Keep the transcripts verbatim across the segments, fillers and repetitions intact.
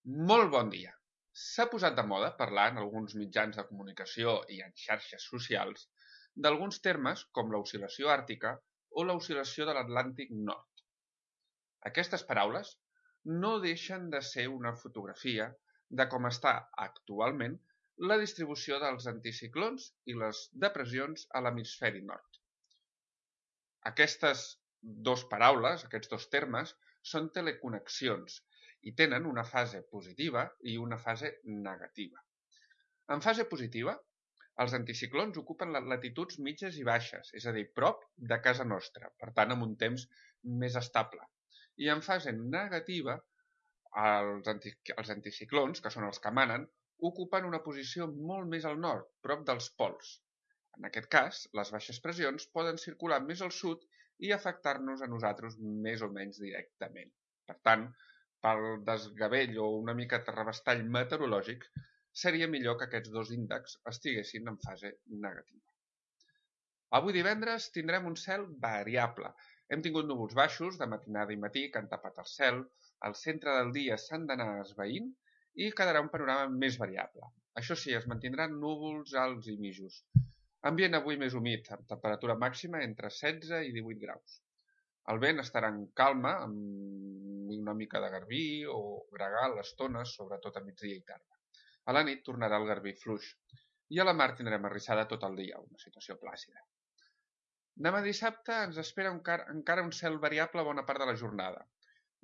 Molt bon dia! S'ha posat de moda parlar en alguns mitjans de comunicació i en xarxes socials d'alguns termes com l'oscil·lació àrtica o l'oscil·lació de l'Atlàntic Nord. Aquestes paraules no deixen de ser una fotografia de com està actualment la distribució dels anticiclons i les depressions a l'hemisferi nord. Aquestes dues paraules, aquests dos termes, són teleconnexions i tenen una fase positiva i una fase negativa. En fase positiva, els anticiclons ocupen les latituds mitges i baixes, és a dir, prop de casa nostra, per tant amb un temps més estable. I en fase negativa, els, anti, els anticiclons, que són els que manen, ocupen una posició molt més al nord, prop dels pols. En aquest cas, les baixes pressions poden circular més al sud i afectar-nos a nosaltres més o menys directament. Per tant, pel desgavell o una mica terrabastall meteorològic, seria millor que aquests dos índexs estiguessin en fase negativa. Avui divendres tindrem un cel variable. Hem tingut núvols baixos de matinada i matí que han tapat el cel, al centre del dia s'han d'anar esvaint i quedarà un panorama més variable. Això sí, es mantindran núvols alts i mitjos. Ambient avui més humit, amb temperatura màxima entre setze i divuit graus. El vent estarà en calma, amb una mica de garbí o gregal a estones, sobretot a migdia i tarda. A la nit tornarà el garbí fluix i a la mar tindrem arrissada tot el dia, una situació plàcida. Demà dissabte ens espera encara un cel variable bona part de la jornada.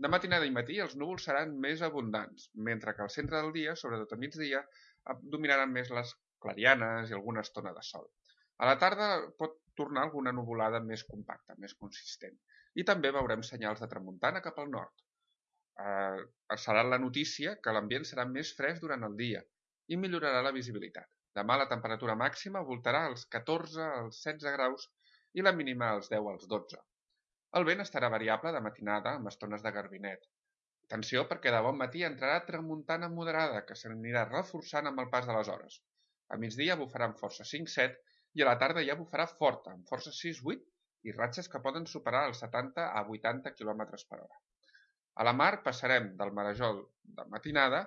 De matinada i matí els núvols seran més abundants, mentre que al centre del dia, sobretot a migdia, dominaran més les clarianes i alguna estona de sol. A la tarda pot tornar alguna nuvolada més compacta, més consistent. I també veurem senyals de tramuntana cap al nord. Eh, serà la notícia que l'ambient serà més fresc durant el dia i millorarà la visibilitat. Demà la temperatura màxima voltarà als catorze als setze graus i la mínima als deu als dotze. El vent estarà variable de matinada amb estones de garbinet. Atenció perquè de bon matí entrarà tramuntana moderada que s'anirà reforçant amb el pas de les hores. A migdia bufarà amb força cinc set i a la tarda ja bufarà forta, amb força sis vuit i ratxes que poden superar els setanta a vuitanta quilòmetres per hora. A la mar passarem del marejol de matinada,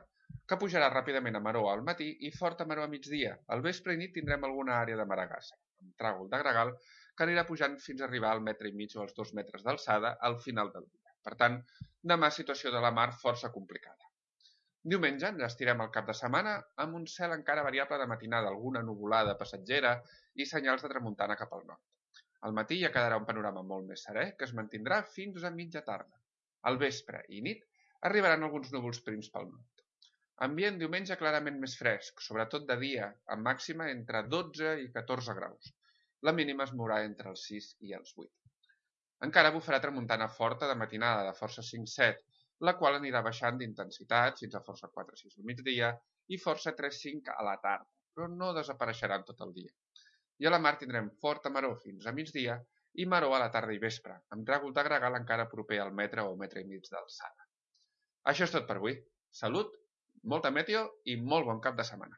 que pujarà ràpidament a maró al matí i forta maró a migdia. Al vespre i nit tindrem alguna àrea de maragassa, amb tràgol de gregal, que anirà pujant fins a arribar al metre i mig o als dos metres d'alçada al final del dia. Per tant, demà situació de la mar força complicada. Diumenge ens estirem el cap de setmana amb un cel encara variable de matinada, alguna nuvolada passatgera i senyals de tramuntana cap al nord. Al matí ja quedarà un panorama molt més serè que es mantindrà fins a mitja tarda. Al vespre i nit arribaran alguns núvols prims pel nord. Ambient diumenge clarament més fresc, sobretot de dia, amb màxima entre dotze i catorze graus. La mínima es mourà entre els sis i els vuit. Encara bufarà tramuntana forta de matinada de força cinc set, la qual anirà baixant d'intensitat fins a força quatre sis al migdia i força tres cinc a la tarda, però no desapareixeran tot el dia. I a la mar tindrem forta maró fins a migdia i maró a la tarda i vespre, amb tràgol de gregal encara proper al metre o metre i mig d'alçada. Això és tot per avui. Salut, molta meteo i molt bon cap de setmana.